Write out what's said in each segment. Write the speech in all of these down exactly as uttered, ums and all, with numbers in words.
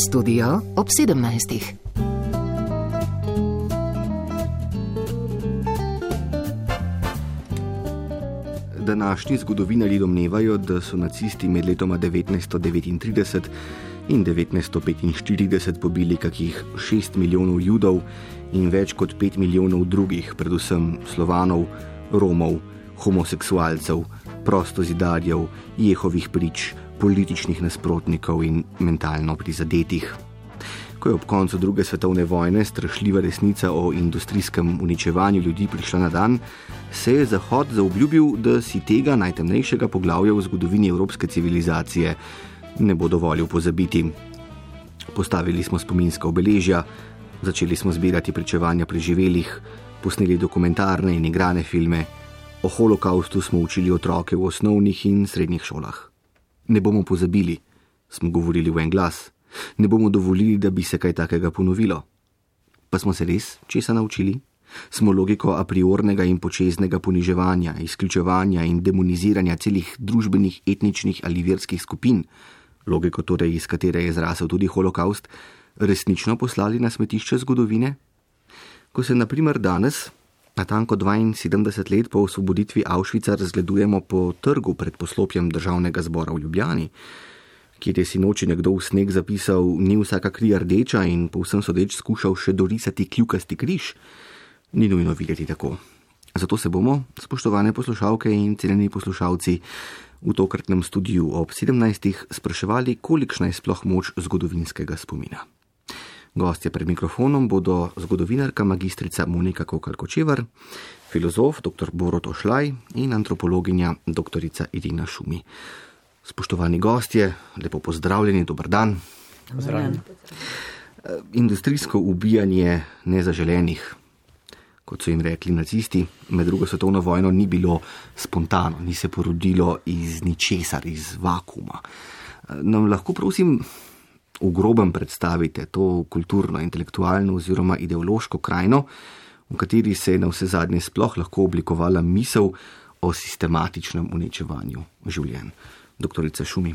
Studio ob sedemnajstih. Današnji zgodovinarji domnevajo, da so nacisti med letoma devetnajststo devetintrideset in devetnajststo petinštirideset pobili kakih šest milijonov Judov in več kot pet milijonov drugih, predvsem Slovanov, Romov, homoseksualcev, prostozidarjev, Jehovih prič, političnih nasprotnikov in mentalno prizadetih. Ko je ob koncu druge svetovne vojne strašljiva resnica o industrijskem uničevanju ljudi prišla na dan, se je Zahod zaobljubil, da si tega najtemnejšega poglavja v zgodovini evropske civilizacije ne bo dovolil pozabiti. Postavili smo spominska obeležja, začeli smo zbirati pričevanja preživelih, posneli dokumentarne in igrane filme, o holokaustu smo učili otroke v osnovnih in srednjih šolah. Ne bomo pozabili, smo govorili v en glas. Ne bomo dovolili, da bi se kaj takega ponovilo. Pa smo se res česa naučili? Smo logiko a priornega in počeznega poniževanja, izključevanja in demoniziranja celih družbenih, etničnih ali verskih skupin, logiko torej, iz katere je zrasel tudi holokaust, resnično poslali na smetišče zgodovine? Ko se na primer danes, natanko dvainsedemdeset let po osvoboditvi Auschwitza, razgledujemo po trgu pred poslopjem Državnega zbora v Ljubljani, kjer je sinoči nekdo v sneg zapisal, ni vsaka kri rdeča in povsem sodeč skušal še dorisati kljukasti križ, ni nujno videti tako. Zato se bomo, spoštovane poslušalke in cenjeni poslušalci, v tokratnem studiu ob sedemnajstih spraševali, kolikšna je sploh moč zgodovinskega spomina. Gostje pred mikrofonom bodo zgodovinarka magistrica Monika Kokalj-Kočevar, filozof dr. Borut Ošlaj in antropologinja doktorica Irina Šumi. Spoštovani gostje, lepo pozdravljeni, dober dan. Pozdravljeni. Industrijsko ubijanje nezaželenih, kot so jim rekli nacisti, med drugo svetovno vojno ni bilo spontano, ni se porodilo iz ničesar, iz vakuma. Nam lahko prosim v grobem predstavite to kulturno, intelektualno oziroma ideološko krajino, v kateri se je na vse zadnje sploh lahko oblikovala misel o sistematičnem uničevanju življenj. Doktorica Šumi.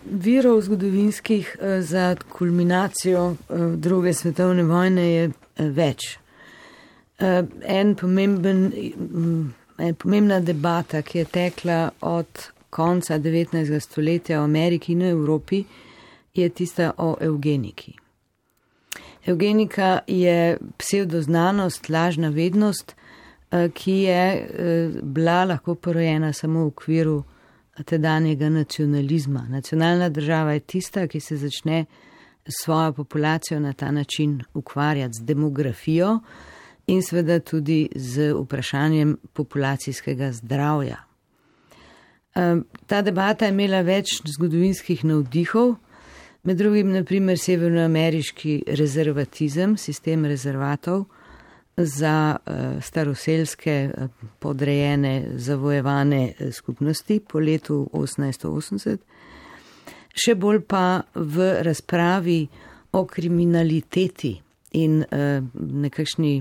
Virov zgodovinskih za kulminacijo druge svetovne vojne je več. En pomemben, en pomembna debata, ki je tekla od konca devetnajstega stoletja v Ameriki in v Evropi, je tista o evgeniki. Evgenika je psevdoznanost, lažna vednost, ki je bila lahko porojena samo v okviru tedanjega nacionalizma. Nacionalna država je tista, ki se začne svojo populacijo na ta način ukvarjati z demografijo in seveda tudi z vprašanjem populacijskega zdravja. Ta debata je imela več zgodovinskih navdihov, med drugim naprimer severnoameriški rezervatizem, sistem rezervatov za staroselske podrejene, zavojevane skupnosti po letu osemnajststo osemdeset, še bolj pa v razpravi o kriminaliteti in nekakšni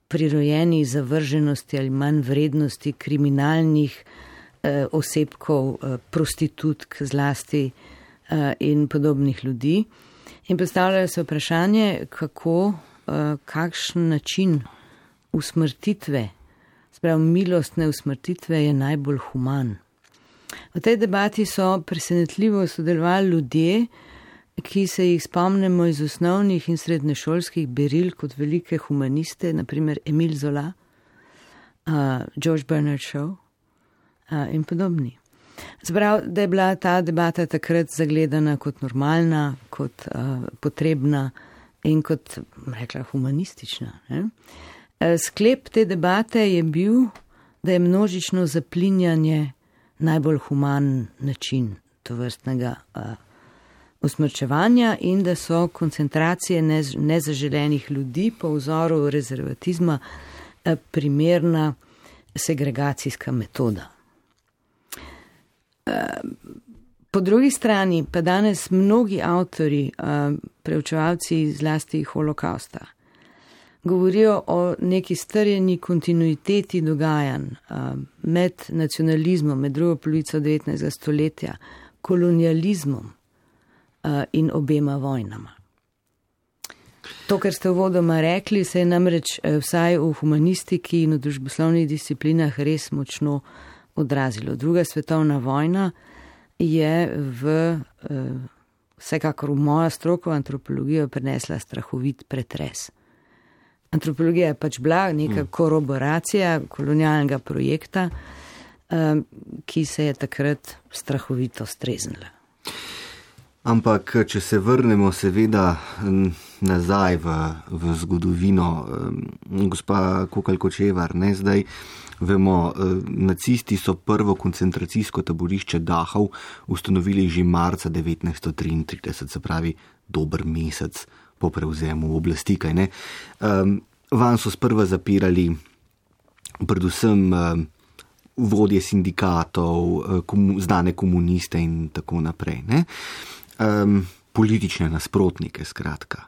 prirojeni zavrženosti ali manj vrednosti kriminalnih osebkov, prostitutk zlasti in podobnih ljudi. In postavljajo se vprašanje, kako, kakšen način usmrtitve, sprav milostne usmrtitve je najbolj human. V tej debati so presenetljivo sodelovali ljudje, ki se jih spomnimo iz osnovnih in srednješolskih beril kot velike humaniste, naprimer Emile Zola, uh, George Bernard Shaw uh, in podobni. Sprav, da je bila ta debata takrat zagledana kot normalna, kot uh, potrebna in kot, rekla, humanistična. Ne? Sklep te debate je bil, da je množično zaplinjanje najbolj human način tovrstnega uh, usmrčevanja in da so koncentracije nez, nezaželenih ljudi po vzoru rezervatizma uh, primerna segregacijska metoda. Uh, po drugi strani pa danes mnogi avtori, uh, preučevalci zlasti holokausta, govorijo o neki strjeni kontinuiteti dogajanj uh, med nacionalizmom, med drugo polovico devetnajstega stoletja, kolonializmom in obema vojnama. To, kar ste uvodoma rekli, se je namreč vsaj v humanistiki in v družboslovnih disciplinah res močno odrazilo. Druga svetovna vojna je v, vsekakor v mojo stroko antropologijo prinesla strahovit pretres. Antropologija je pač bila neka koroboracija kolonialnega projekta, ki se je takrat strahovito streznila. Ampak, če se vrnemo seveda nazaj v, v zgodovino, gospa Kokalj-Kočevar, ne, zdaj vemo, nacisti so prvo koncentracijsko taborišče Dachau ustanovili že marca devetnajststo triintrideset, se pravi dober mesec po prevzemu oblasti, kaj ne. Van so sprva zapirali predvsem vodje sindikatov, znane komuniste in tako naprej, ne. Um, politične nasprotnike, skratka.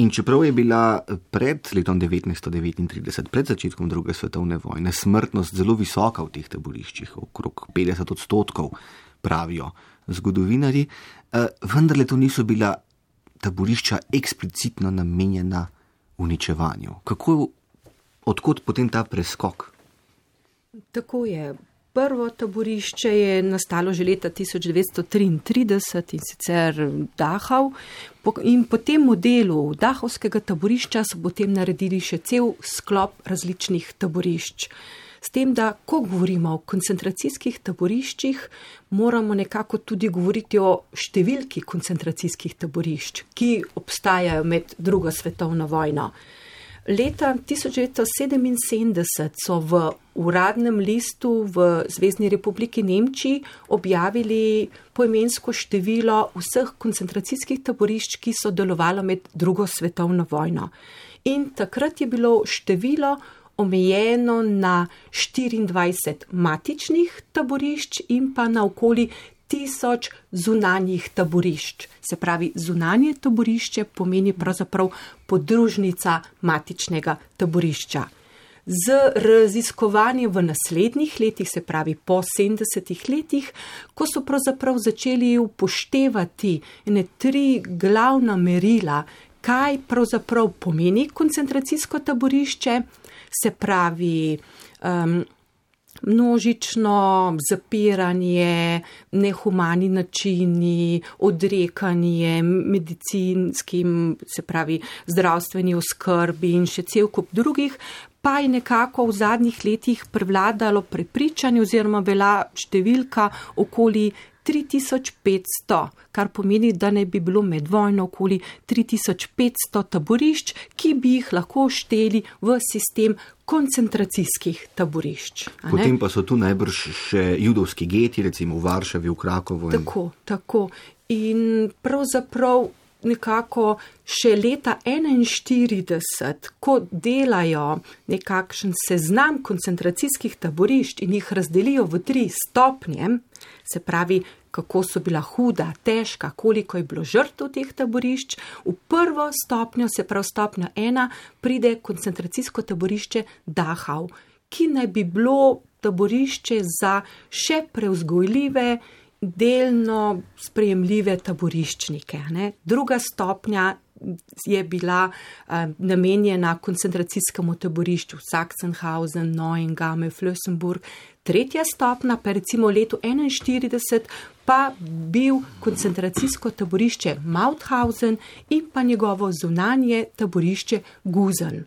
In čeprav je bila pred letom devetnajststo devetintrideset, pred začetkom druge svetovne vojne, smrtnost zelo visoka v teh taboriščih, okrog petdeset odstotkov, pravijo zgodovinarji, uh, vendarle to niso bila taborišča eksplicitno namenjena uničevanju. Kako, odkot potem ta preskok? Tako je. Prvo taborišče je nastalo že leta tisoč devetsto triintrideset in sicer Dachau. In po tem modelu Dachovskega taborišča so potem naredili še cel sklop različnih taborišč. S tem, da ko govorimo o koncentracijskih taboriščih, moramo nekako tudi govoriti o številki koncentracijskih taborišč, ki obstajajo med drugo svetovno vojno. Leta tisoč devetsto sedeminsedemdeset so v uradnem listu v Zvezni republiki Nemčiji objavili poimensko število vseh koncentracijskih taborišč, ki so delovalo med drugo svetovno vojno. In takrat je bilo število omejeno na štiriindvajset matičnih taborišč in pa na okoli tisoč zunanjih taborišč. Se pravi, zunanje taborišče pomeni pravzaprav podružnica matičnega taborišča. Z raziskovanjem v naslednjih letih, se pravi po sedemdesetih letih, ko so pravzaprav začeli upoštevati ene tri glavna merila, kaj pravzaprav pomeni koncentracijsko taborišče, se pravi um, množično zapiranje, nehumani načini, odrekanje medicinskim, se pravi zdravstveni oskrbi in še cel kup drugih, pa je nekako v zadnjih letih prevladalo prepričanje oziroma bila številka okoli tri tisoč petsto, kar pomeni, da ne bi bilo med vojno okoli tri tisoč petsto taborišč, ki bi jih lahko šteli v sistem koncentracijskih taborišč. Potem pa so tu najbrž še judovski geti, recimo v Varšavi, v Krakovu. Tako, tako. In pravzaprav nekako še leta enainštirideset, ko delajo nekakšen seznam koncentracijskih taborišč in jih razdelijo v tri stopnje, se pravi, kako so bila huda, težka, koliko je bilo žrtev teh taborišč, v prvo stopnjo, se pravi stopnja ena, pride koncentracijsko taborišče Dachau, ki naj bi bilo taborišče za še prevzgojljive, delno sprejemljive taboriščnike. Ne? Druga stopnja je bila uh, namenjena koncentracijskemu taborišču Sachsenhausen, Neuengamme, Flossenburg. Tretja stopnja, pa recimo v letu enainštirideset, pa bil koncentracijsko taborišče Mauthausen in pa njegovo zunanje taborišče Gusen.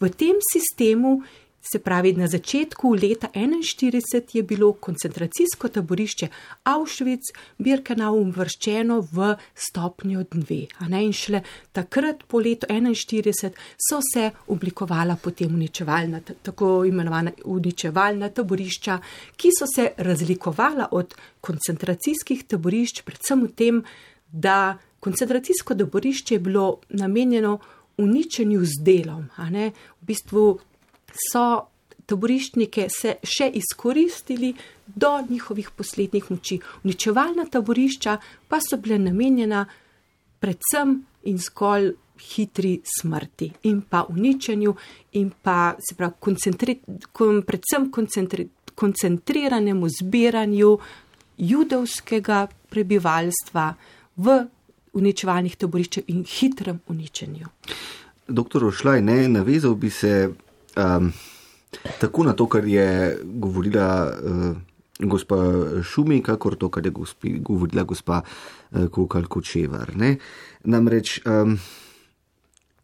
V tem sistemu, se pravi, na začetku leta enainštirideset je bilo koncentracijsko taborišče Auschwitz-Birkenau uvrščeno v stopnjo dve. In šele takrat po letu enainštirideset so se oblikovala potem uničevalna, tako imenovana uničevalna taborišča, ki so se razlikovala od koncentracijskih taborišč, predvsem v tem, da koncentracijsko taborišče je bilo namenjeno uničenju z delom. V bistvu so taboriščnike se še izkoristili do njihovih poslednjih moči. Uničevalna taborišča pa so bile namenjena predvsem in zgolj hitri smrti in pa uničenju in pa se pravi, koncentri, kon, predvsem koncentri, koncentriranemu zbiranju judovskega prebivalstva v uničevalnih taboriščev in hitrem uničenju. Doktor Ošlaj, ne, navezal bi se um, tako na to, kar je govorila uh, gospa Šumi, kakor to, kar je gospi, govorila gospa uh, Kokalj Kočevar. Ne. Namreč um,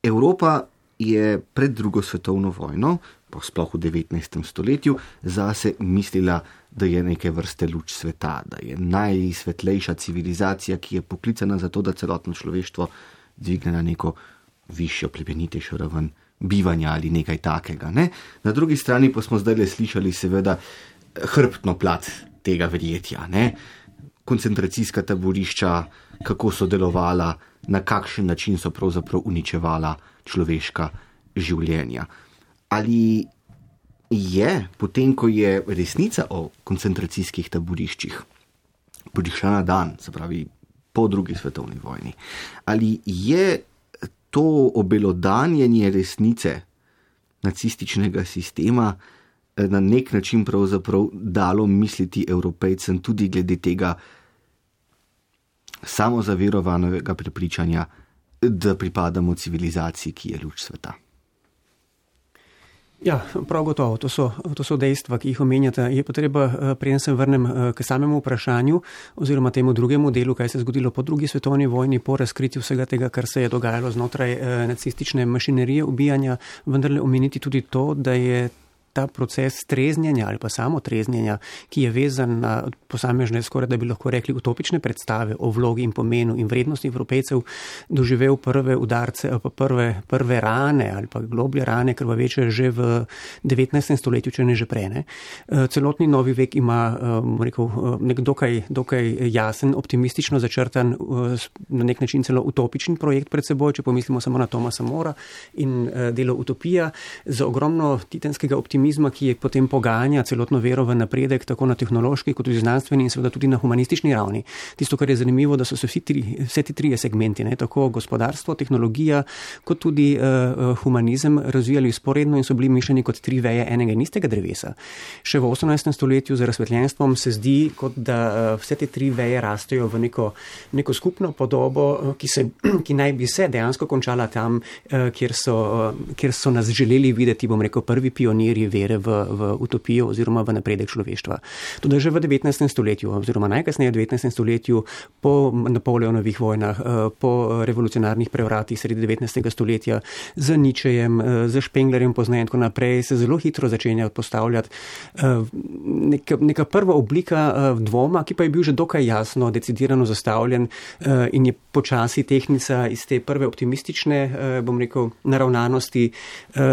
Evropa je pred drugo svetovno vojno, pa sploh v devetnajstem stoletju, zase mislila, da je neke vrste luč sveta, da je najsvetlejša civilizacija, ki je poklicana za to, da celotno človeštvo dvigne na neko višjo, plemenitejšo raven bivanja ali nekaj takega. Ne? Na drugi strani pa smo zdaj le slišali seveda hrbtno plat tega verjetja. Ne? Koncentracijska taborišča, kako so delovala, na kakšen način so pravzaprav uničevala človeška življenja. Ali je, potem ko je resnica o koncentracijskih taboriščih prišla na dan, se pravi po drugi svetovni vojni, ali je to obelodanjenje resnice nacističnega sistema na nek način pravzaprav dalo misliti Evropejcem tudi glede tega samozaverovanega prepričanja, da pripadamo civilizaciji, ki je luč sveta? Ja, prav gotovo, to so, to so dejstva, ki jih omenjate. Je pa treba, preden se vrnem k samemu vprašanju oziroma temu drugemu delu, kaj se je zgodilo po drugi svetovni vojni, po razkritju vsega tega, kar se je dogajalo znotraj nacistične mašinerije ubijanja, vendarle omeniti tudi to, da je ta proces treznjenja ali pa samo treznjenja, ki je vezan na posamežne, skoraj da bi lahko rekli, utopične predstave o vlogi in pomenu in vrednosti Evropejcev, doživel prve udarce, pa prve, prve rane ali pa globlje rane, krvaveče že v devetnajstem stoletju, če ne že prej. Ne. Celotni novi vek ima rekel, nek dokaj, dokaj jasen, optimistično začrtan, na nek način celo utopičen projekt pred seboj, če pomislimo samo na Thomasa Mora in delo Utopija, z ogromno titanskega optimizma, ki je potem poganja celotno vero v napredek, tako na tehnološki, kot tudi znanstveni in seveda tudi na humanistični ravni. Tisto, kar je zanimivo, da so se vsi tri, vse ti trije segmenti, ne, tako gospodarstvo, tehnologija, kot tudi uh, humanizem razvijali sporedno in so bili mišljeni kot tri veje enega in istega drevesa. Še v osemnajstem stoletju z razsvetljenstvom se zdi, kot da uh, vse te tri veje rastejo v neko, neko skupno podobo, uh, ki, se, ki naj bi se dejansko končala tam, uh, kjer, so, uh, kjer so nas želeli videti, bom rekel, prvi pionirji vere v, v utopijo oziroma v napredek človeštva. Tudi že v devetnajstem stoletju oziroma najkasneje v devetnajstem stoletju po Napoleonovih vojnah, po revolucionarnih prevratih sredi devetnajstega stoletja z Nietzschejem, z Spenglerjem pozneje in tako naprej se zelo hitro začenja postavljati neka, neka prva oblika dvoma, ki pa je bil že dokaj jasno, decidirano zastavljen in je počasi tehnica iz te prve optimistične, bom rekel, naravnanosti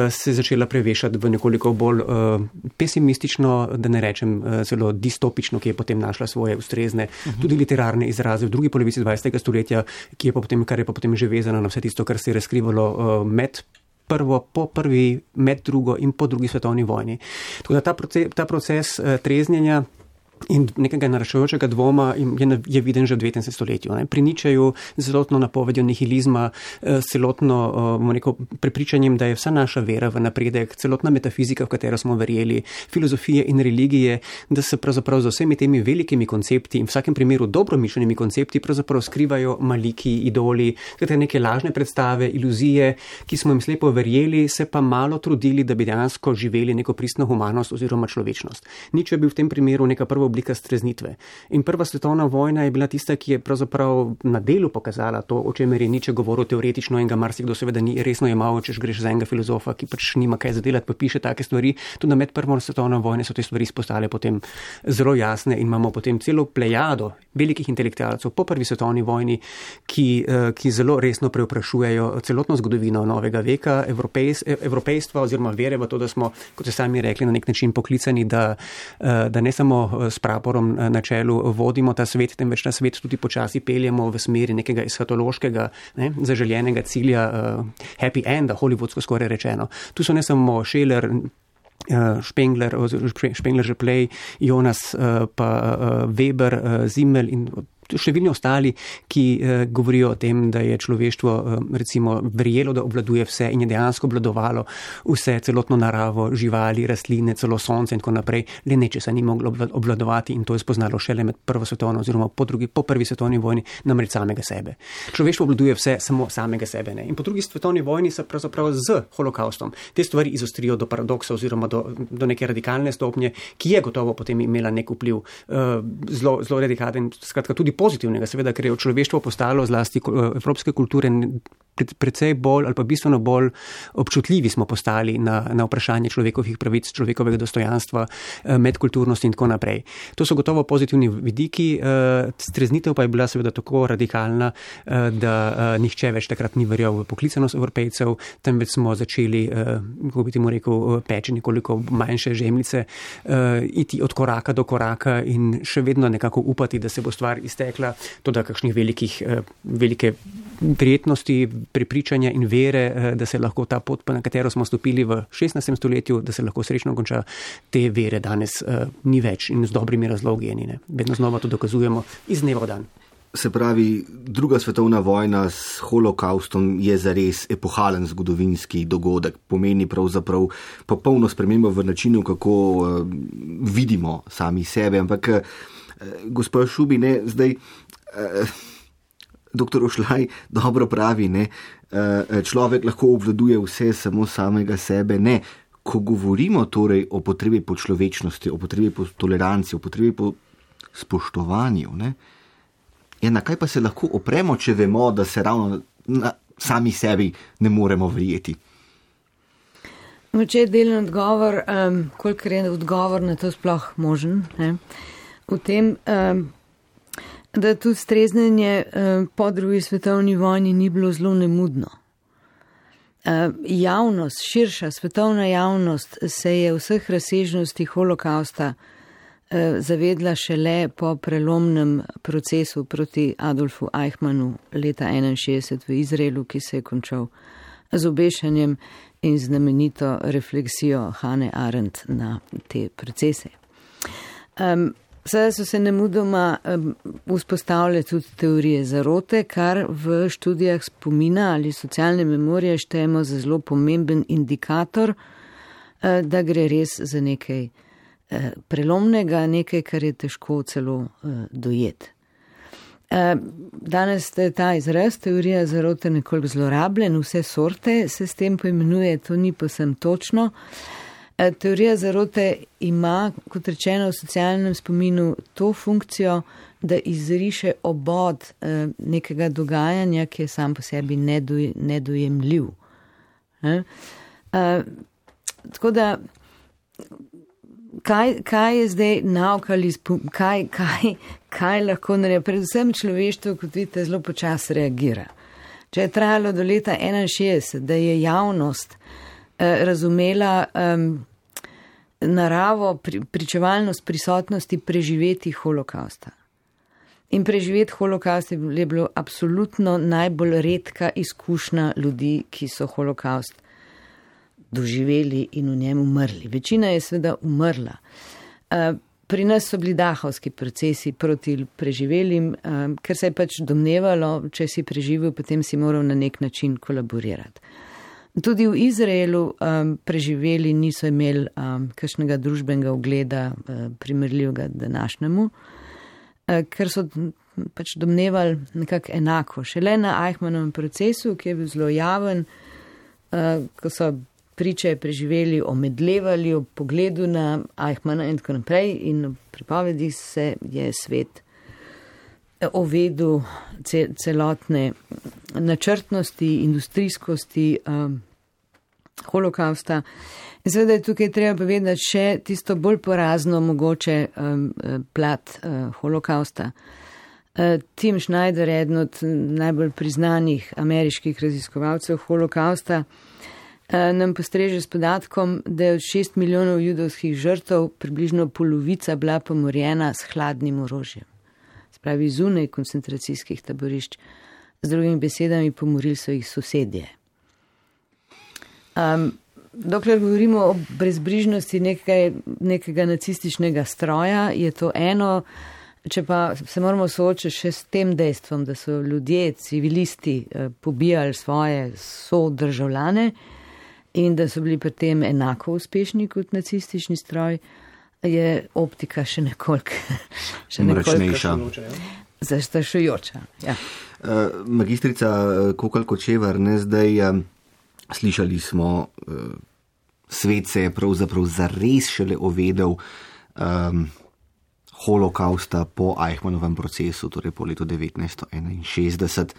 se začela prevešati v nekoliko bolj uh, pesimistično, da ne rečem uh, zelo distopično, ki je potem našla svoje ustrezne, uh-huh. tudi literarne izraze v drugi polovici dvajsetega stoletja, ki je pa potem, kar je pa potem že vezano na vse tisto, kar se je razkrivalo uh, med prvo, po prvi, med drugo in po drugi svetovni vojni. Tako da ta proces, ta proces uh, treznjenja in nekega naraščajočega dvoma je, je viden že v devetnajstem stoletju. Ne. Pri Nietzscheju z celotno napovedjo nihilizma, s celotno rekel, prepričanjem, da je vsa naša vera v napredek, celotna metafizika, v katero smo verjeli, filozofije in religije, da se pravzaprav z vsemi temi velikimi koncepti in v vsakem primeru dobromišljenimi koncepti pravzaprav skrivajo maliki, idoli, neke lažne predstave, iluzije, ki smo jim slepo verjeli, se pa malo trudili, da bi dejansko živeli neko pristno humanost oziroma človečnost. Nietzsche je bil v tem primeru neka prva oblika streznitve. In prva svetovna vojna je bila tista, ki je pravzaprav na delu pokazala to, o čemer je Nietzsche govoril teoretično in ga marsikdo seveda ni resno jemal, češ greš za enega filozofa, ki pač nima kaj zadelati, pa piše take stvari. Tudi med prvo svetovno vojno so te stvari postale potem zelo jasne in imamo potem celo plejado velikih intelektualcev po prvi svetovni vojni, ki, ki zelo resno preoprašujejo celotno zgodovino novega veka, evropejs, evropejstva oziroma vere v to, da smo, kot ste sami rekli, na nek način poklicani, da, da ne samo s praporom na čelu vodimo ta svet, temveč ta svet tudi počasi peljemo v smeri nekega eschatološkega, ne, zaželjenega cilja, uh, happy enda, hollywoodsko skoraj rečeno. Tu so ne samo Scheler, uh, Spengler, Spengler že play, Jonas, uh, pa uh, Weber, uh, Simmel in številni ostali, ki uh, govorijo o tem, da je človeštvo uh, recimo verjelo, da obvladuje vse in je dejansko obvladovalo vse, celotno naravo, živali, rastline, celo sonce in tako naprej, le nečesa ni moglo obvladovati in to je spoznalo šele med prvo svetovno oziroma po, drugi, po prvi svetovni vojni, namreč samega sebe. Človeštvo obvladuje vse, samo samega sebe ne. In po drugi svetovni vojni se pravzaprav z holokaustom te stvari izostrijo do paradoksa oziroma do, do neke radikalne stopnje, ki je gotovo potem imela nek vpliv uh, zelo, zelo radikalen, skratka tudi pozitivnega, seveda, ker je človeštvo postalo zlasti uh, evropske kulture precej bolj ali pa bistveno bolj občutljivi smo postali na, na vprašanje človekovih pravic, človekovega dostojanstva, medkulturnosti in tako naprej. To so gotovo pozitivni vidiki, streznitev pa je bila seveda tako radikalna, da nihče več takrat ni verjel v poklicanost Evropejcev, temveč smo začeli, kako bi ti mu rekel, peči nekoliko manjše žemljice, iti od koraka do koraka in še vedno nekako upati, da se bo stvar iztekla, to da kakšnih velikih, velike prijetnosti, prepričanja in vere, da se lahko ta pot, na katero smo stopili v šestnajstem stoletju, da se lahko srečno konča, te vere danes uh, ni več in z dobrimi razlogi je ni. Ne? Vedno znova to dokazujemo iz dneva v dan. Se pravi, druga svetovna vojna s holokaustom je zares epohalen zgodovinski dogodek, pomeni pravzaprav popolno spremembo v načinu, kako uh, vidimo sami sebe. Ampak, uh, gospod Šubi, ne, zdaj... Uh, Doktor Ošlaj dobro pravi, ne, človek lahko obvladuje vse, samo samega sebe, ne. Ko govorimo torej o potrebi po človečnosti, o potrebi po toleranci, o potrebi po spoštovanju, ne, ja, na kaj pa se lahko opremo, če vemo, da se ravno na sami sebi ne moremo verjeti? Moče je delen odgovor, um, kolikor je odgovor na to sploh možen, ne, v tem... Um, da tudi streznenje po drugi svetovni vojni ni bilo zelo nemudno. Javnost, širša svetovna javnost se je vseh razsežnosti holokausta zavedla šele po prelomnem procesu proti Adolfu Eichmannu leta enainšestdeset v Izraelu, ki se je končal z obešanjem in znamenito refleksijo Hannah Arendt na te procese. Um, Sedaj so se nemudoma um, vzpostavile tudi teorije zarote, kar v študijah spomina ali socialne memorije štejemo za zelo pomemben indikator, uh, da gre res za nekaj uh, prelomnega, nekaj, kar je težko celo uh, dojeti. Uh, danes je ta izraz, teorija zarote, nekoliko zlorabljen, vse sorte se s tem poimenuje, to ni povsem točno. Teorija zarote ima, kot rečeno, v socialnem spominu to funkcijo, da izriše obod nekega dogajanja, ki je sam po sebi nedoj, nedojemljiv. Ne? Tako da, kaj, kaj je zdaj nauka ali kaj, kaj, kaj lahko naredi? Predvsem človeštvo, kot vidite, zelo počasi reagira. Če je trajalo do leta enainšestdeset, da je javnost eh, razumela um, naravo, pri, pričevalnost prisotnosti preživeti holokausta. In preživeti holokaust je bilo absolutno najbolj redka izkušnja ljudi, ki so holokaust doživeli in v njem umrli. Večina je seveda umrla. Pri nas so bili dahovski procesi proti preživelim, ker se je pač domnevalo, če si preživel, potem si moral na nek način kolaborirati. Tudi v Izraelu um, preživeli niso imeli um, kakšnega družbenega ugleda uh, primerljivega današnjemu, uh, ker so pač domnevali nekako enako. Šele na Eichmannovem procesu, ki je bil zelo javen, uh, ko so priče preživeli, omedlevali o pogledu na Eichmanna in tako naprej in v pripovedi se je svet ovedel celotne načrtnosti, industrijskosti um, holokausta. In seveda je tukaj treba povedati še tisto bolj porazno mogoče um, plat uh, holokausta. Uh, Tim Schneider, eden od najbolj priznanih ameriških raziskovalcev holokausta, uh, nam postreže s podatkom, da je od šest milijonov judovskih žrtev približno polovica bila pomorjena s hladnim orožjem. Pravi zunaj koncentracijskih taborišč, z drugimi besedami pomorili so jih sosedje. Um, dokler govorimo o brezbrižnosti nekaj, nekega nacističnega stroja, je to eno, Če pa se moramo soočiti še s tem dejstvom, da so ljudje, civilisti, pobijali svoje sodržavljane in da so bili pri tem enako uspešni kot nacistični stroj, je optika še nekoliko mračnejša. Zastrašujoča. Ja. Uh, magistrica Kokalj Kočevar, ne zdaj um, slišali smo, uh, svet se je pravzaprav zares šele ovedel um, holokausta po Eichmannovem procesu, torej po letu devetnajststo enainšestdeset.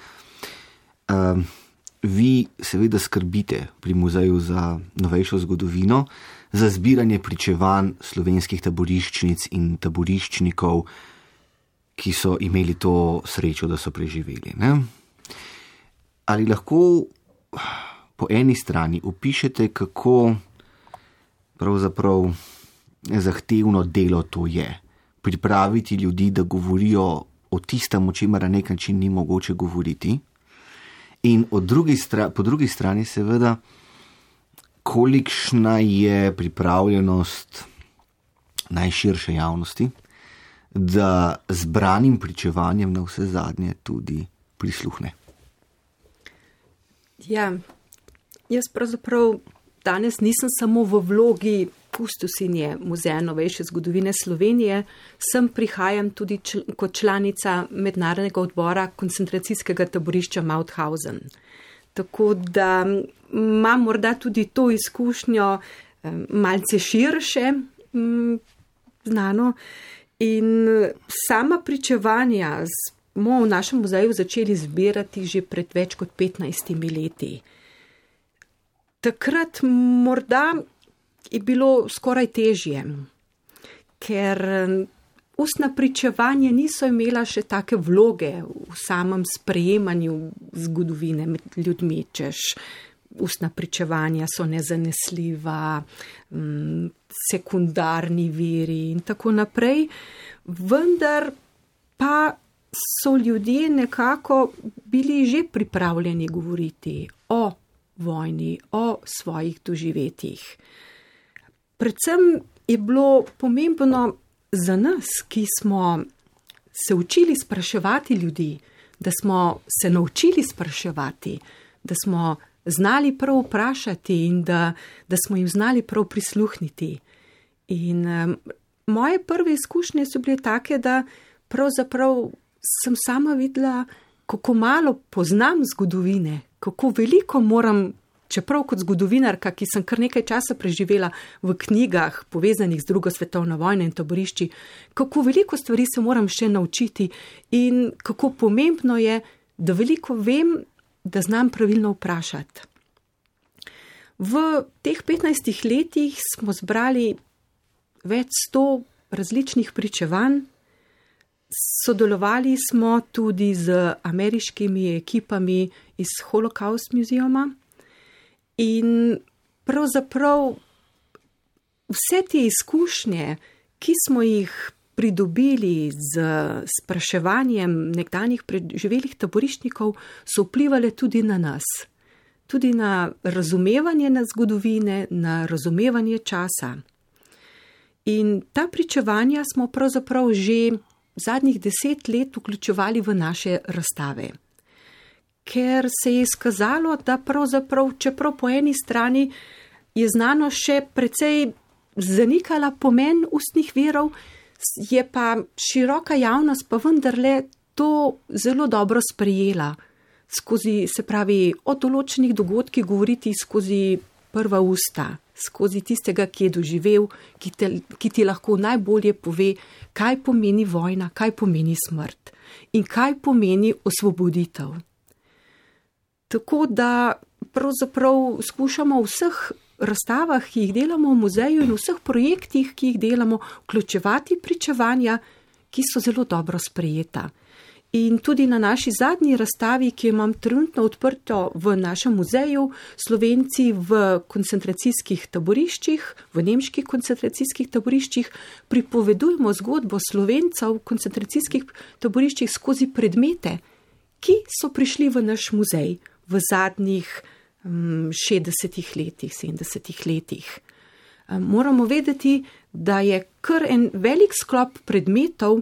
Um, vi seveda skrbite pri muzeju za novejšo zgodovino, za zbiranje pričevanj slovenskih taboriščnic in taboriščnikov, ki so imeli to srečo, da so preživeli. Ne? Ali lahko po eni strani opišete, kako pravzaprav zahtevno delo to je? Pripraviti ljudi, da govorijo o tistem, o čemer na nek način ni mogoče govoriti. In od drugi stra- po drugi strani seveda, kolikšna je pripravljenost najširše javnosti, da zbranim pričevanjem na vse zadnje tudi prisluhne. Ja, jaz pravzaprav danes nisem samo v vlogi kustosinje Muzeja novejše zgodovine Slovenije, sem prihajam tudi čl- kot članica mednarodnega odbora koncentracijskega taborišča Mauthausen. Tako da imam morda tudi to izkušnjo um, malce širše um, znano. In sama pričevanja smo v našem muzeju začeli zbirati že pred več kot petnajstimi leti. Takrat morda je bilo skoraj težje, ker ustna pričevanja niso imela še take vloge v samem sprejemanju zgodovine med ljudmi, češ ustna pričevanja so nezanesljiva, sekundarni viri in tako naprej, vendar pa so ljudje nekako bili že pripravljeni govoriti o vojni, o svojih doživetjih. Predvsem je bilo pomembno za nas, ki smo se učili spraševati ljudi, da smo se naučili spraševati, da smo znali prav vprašati in da, da smo jim znali prav prisluhniti. In um, moje prve izkušnje so bile take, da pravzaprav sem sama videla, kako malo poznam zgodovine, kako veliko moram, čeprav kot zgodovinarka, ki sem kar nekaj časa preživela v knjigah povezanih z drugo svetovno vojno in taborišči, kako veliko stvari se moram še naučiti in kako pomembno je, da veliko vem, da znam pravilno vprašati. V teh petnajstih letih smo zbrali več sto različnih pričevanj, sodelovali smo tudi z ameriškimi ekipami iz Holocaust muzejuma in pravzaprav vse te izkušnje, ki smo jih pridobili z spraševanjem nekdanjih preživelih taboriščnikov, so vplivali tudi na nas, tudi na razumevanje na zgodovine, na razumevanje časa. In ta pričevanja smo pravzaprav že zadnjih deset let vključevali v naše razstave. Ker se je izkazalo, da pravzaprav, čeprav po eni strani je znanost še precej zanikala pomen ustnih virov, je pa široka javnost pa vendarle to zelo dobro sprejela. Skozi, se pravi, o določenih dogodkih govoriti skozi prva usta, skozi tistega, ki je doživel, ki, te, ki ti lahko najbolje pove, kaj pomeni vojna, kaj pomeni smrt in kaj pomeni osvoboditev. Tako da pravzaprav skušamo v vseh razstavah, ki jih delamo v muzeju in v vseh projektih, ki jih delamo, vključevati pričevanja, ki so zelo dobro sprejeta. In tudi na naši zadnji razstavi, ki jo imam trenutno odprto v našem muzeju, Slovenci v koncentracijskih taboriščih, v nemških koncentracijskih taboriščih, pripovedujemo zgodbo Slovencev v koncentracijskih taboriščih skozi predmete, ki so prišli v naš muzej v zadnjih um, šestdesetih letih, sedemdesetih letih. Um, moramo vedeti, da je kar en velik sklop predmetov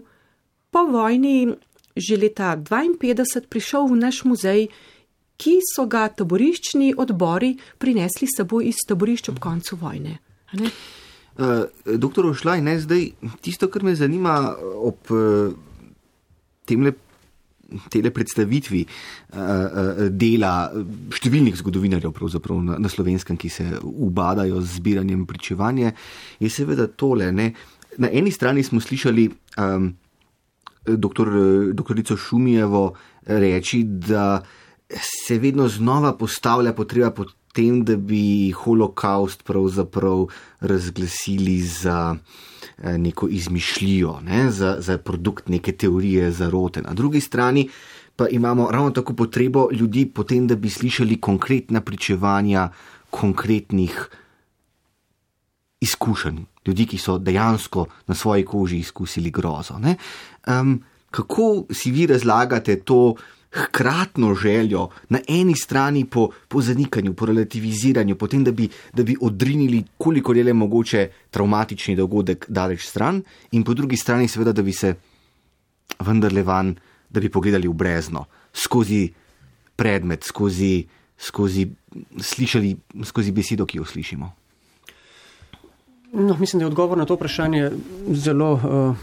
po vojni že leta dvainpetdeset prišel v naš muzej, ki so ga taboriščni odbori prinesli s seboj iz taborišč ob koncu vojne. Uh, doktor Ošlaj, ne, zdaj tisto, kar me zanima ob uh, temle, tele predstavitvi uh, uh, dela številnih zgodovinarjev pravzaprav na, na Slovenskem, ki se ubadajo z zbiranjem pričevanja, je seveda tole. Ne. Na eni strani smo slišali um, doktor, doktorico Šumijevo reči, da se vedno znova postavlja potreba po tem, da bi holokaust pravzaprav razglasili za neko izmišljijo, ne? za, za produkt neke teorije zarote. Na drugi strani pa imamo ravno tako potrebo ljudi potem, da bi slišali konkretna pričevanja konkretnih izkušenj. Ljudi, ki so dejansko na svoji koži izkusili grozo. Ne? Um, kako si vi razlagate to hkratno željo na eni strani po, po zanikanju, po relativiziranju, potem, da bi, da bi odrinili, koliko je le mogoče travmatični dogodek daleč stran, in po drugi strani seveda, da bi se vendarle van, da bi pogledali v brezno, skozi predmet, skozi, skozi slišali, skozi besedo, ki jo slišimo. No, mislim, da je odgovor na to vprašanje zelo uh,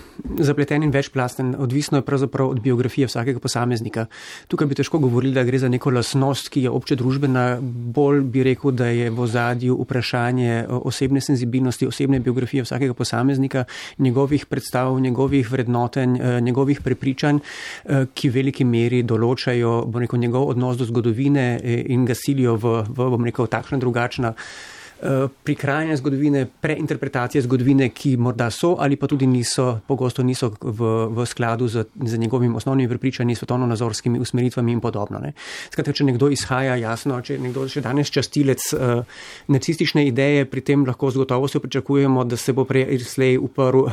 zapleten in večplasten. Odvisno je pravzaprav od biografije vsakega posameznika. Tukaj bi težko govorili, da gre za neko lastnost, ki je obče družbena. Bolj bi rekel, da je v ozadju vprašanje osebne senzibilnosti, osebne biografije vsakega posameznika, njegovih predstav, njegovih vrednotenj, njegovih prepričanj, ki v veliki meri določajo, bo rekel, njegov odnos do zgodovine in ga silijo v, v bom rekel, takšna drugačna prikrajanje zgodovine, preinterpretacije zgodovine, ki morda so ali pa tudi niso, pogosto niso v, v skladu z, z njegovim osnovnimi prepričanji, svetovno-nazorskimi usmeritvami in podobno. Ne. Skratka, če nekdo izhaja, jasno, če nekdo še danes častilec uh, nacistične ideje, pri tem lahko z gotovostjo pričakujemo, da se bo prej slej uprl,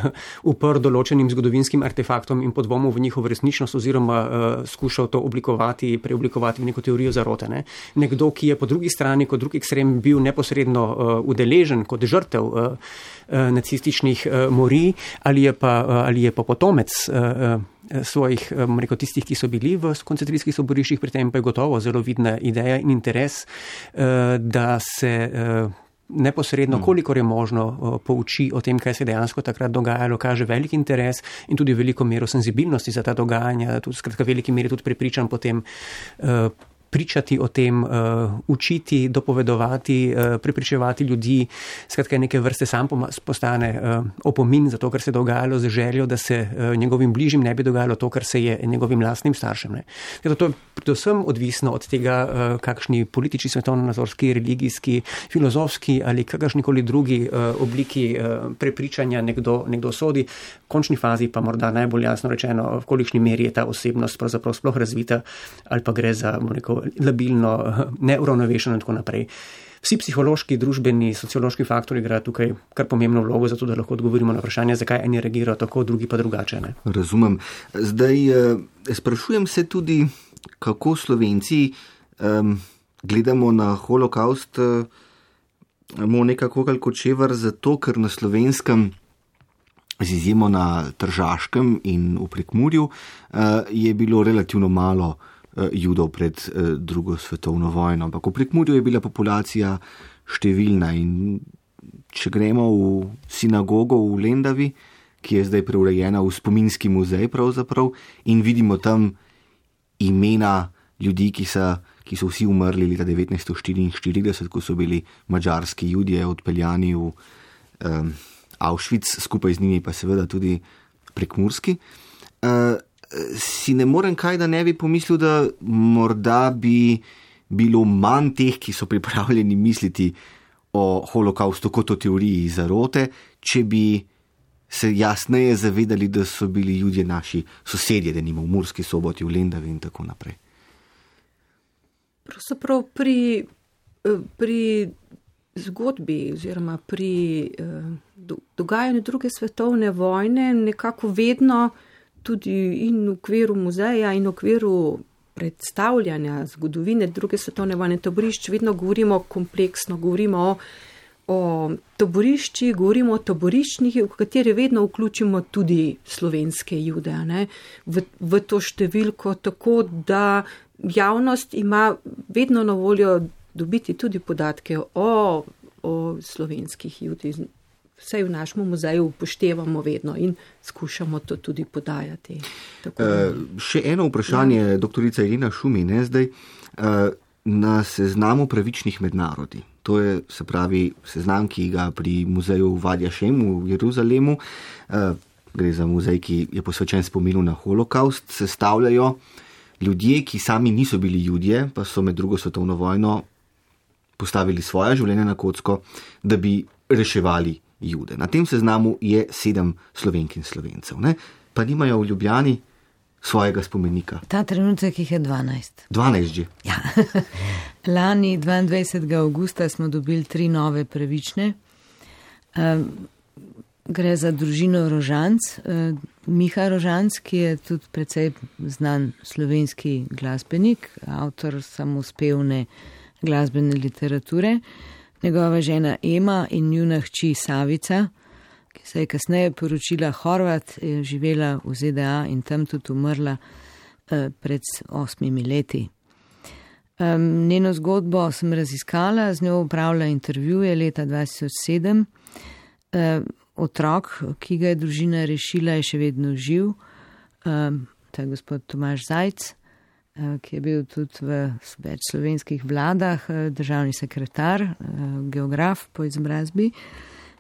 uprl določenim zgodovinskim artefaktom in podvomil v njihovo resničnost oziroma uh, skušal to oblikovati, preoblikovati v neko teorijo zarote. Ne. Nekdo, ki je po drugi strani, kot drugi ekstrem, bil neposredno udeležen kot žrtev uh, uh, nacističnih uh, morij ali je pa, uh, ali je pa potomec uh, uh, svojih, um, rekel, tistih, ki so bili v koncentracijskih taboriščih, pri tem pa je gotovo zelo vidna ideja in interes, uh, da se uh, neposredno, kolikor je možno, uh, pouči o tem, kaj se dejansko takrat dogajalo, kaže velik interes in tudi veliko mero senzibilnosti za ta dogajanja, tudi skratka veliki meri tudi prepričan potem uh, pričati o tem, uh, učiti, dopovedovati, uh, prepričevati ljudi, skratka neke vrste sam postane uh, opomin za to, kar se je dogajalo, z željo, da se uh, njegovim bližjim ne bi dogajalo to, kar se je njegovim lastnim staršem. Ne. Zato to je predvsem odvisno od tega, uh, kakšni politični, svetovno-nazorski, religijski, filozofski ali kakršnikoli drugi uh, obliki uh, prepričanja nekdo, nekdo sodi. V končni fazi pa morda najbolj jasno rečeno, v kolikšni meri je ta osebnost pravzaprav sploh razvita ali pa gre za, bom rekel, labilno, neuravnovešeno in tako naprej. Vsi psihološki, družbeni, sociološki faktori igrajo tukaj kar pomembno vlogo, zato da lahko odgovorimo na vprašanje, zakaj eni reagirajo tako, drugi pa drugače. Ne? Razumem. Zdaj, sprašujem se tudi, kako Slovenci um, gledamo na holokaust uh, Monika Kokalj-Kočevar, zato ker na Slovenskem, z izjemo na Tržaškem in v Prekmurju, uh, je bilo relativno malo Judov pred drugo svetovno vojno. Ampak v Prekmurju je bila populacija številna in če gremo v sinagogo v Lendavi, ki je zdaj preurejena v spominski muzej pravzaprav in vidimo tam imena ljudi, ki so, ki so vsi umrli leta devetnajststo štiriinštirideset, ko so bili madžarski Judje odpeljani v um, Auschwitz, skupaj z njimi pa seveda tudi prekmurski. Uh, si ne morem kaj, da ne bi pomislil, da morda bi bilo manj teh, ki so pripravljeni misliti o holokaustu kot o teoriji zarote, če bi se jasneje zavedali, da so bili Judje naši sosedje, da nima v Murski Soboti, v Lendavi in tako naprej. Pravzaprav pri, pri zgodbi oziroma pri dogajanju druge svetovne vojne nekako vedno tudi in v okviru muzeja in v okviru predstavljanja zgodovine druge svetovne vojne taborišč vedno govorimo kompleksno, govorimo o o taboriščih, govorimo o taboriščnih, v kateri vedno vključimo tudi slovenske Jude, ne, v, v to številko, tako da javnost ima vedno na voljo dobiti tudi podatke o, o slovenskih Judih. Vsej v našem muzeju upoštevamo vedno in skušamo to tudi podajati. E, še eno vprašanje, ja. Doktorica Irena Šumi, ne zdaj, e, na seznamu pravičnih med narodi. To je, se pravi, seznam, ki ga pri muzeju Vadja Šem v Jeruzalemu, eh, gre za muzej, ki je posvečen spominu na holokaust, sestavljajo ljudje, ki sami niso bili Judje, pa so med drugo svetovno vojno postavili svoje življenje na kocko, da bi reševali Jude. Na tem seznamu je sedem Slovenk in Slovencev, ne? Pa nimajo v Ljubljani svojega spomenika. Ta trenutek jih je dvanajst. dvanajst že. Ja. Lani dvaindvajsetega avgusta smo dobili tri nove pravične. Um, gre za družino Rožanc. Uh, Miha Rožanc, ki je tudi precej znan slovenski glasbenik, avtor samospevne glasbene literature. Njegova žena Ema in njuna hči Savica, ki se je kasneje poročila Horvat, je živela v Z D A in tam tudi umrla eh, pred osmimi leti. Um, njeno zgodbo sem raziskala, z njo upravila intervjuje leta dva tisoč sedem. Um, otrok, ki ga je družina rešila, je še vedno živ. Um, to je gospod Tomaž Zajc, uh, ki je bil tudi v več slovenskih vladah, uh, državni sekretar, uh, geograf po izobrazbi,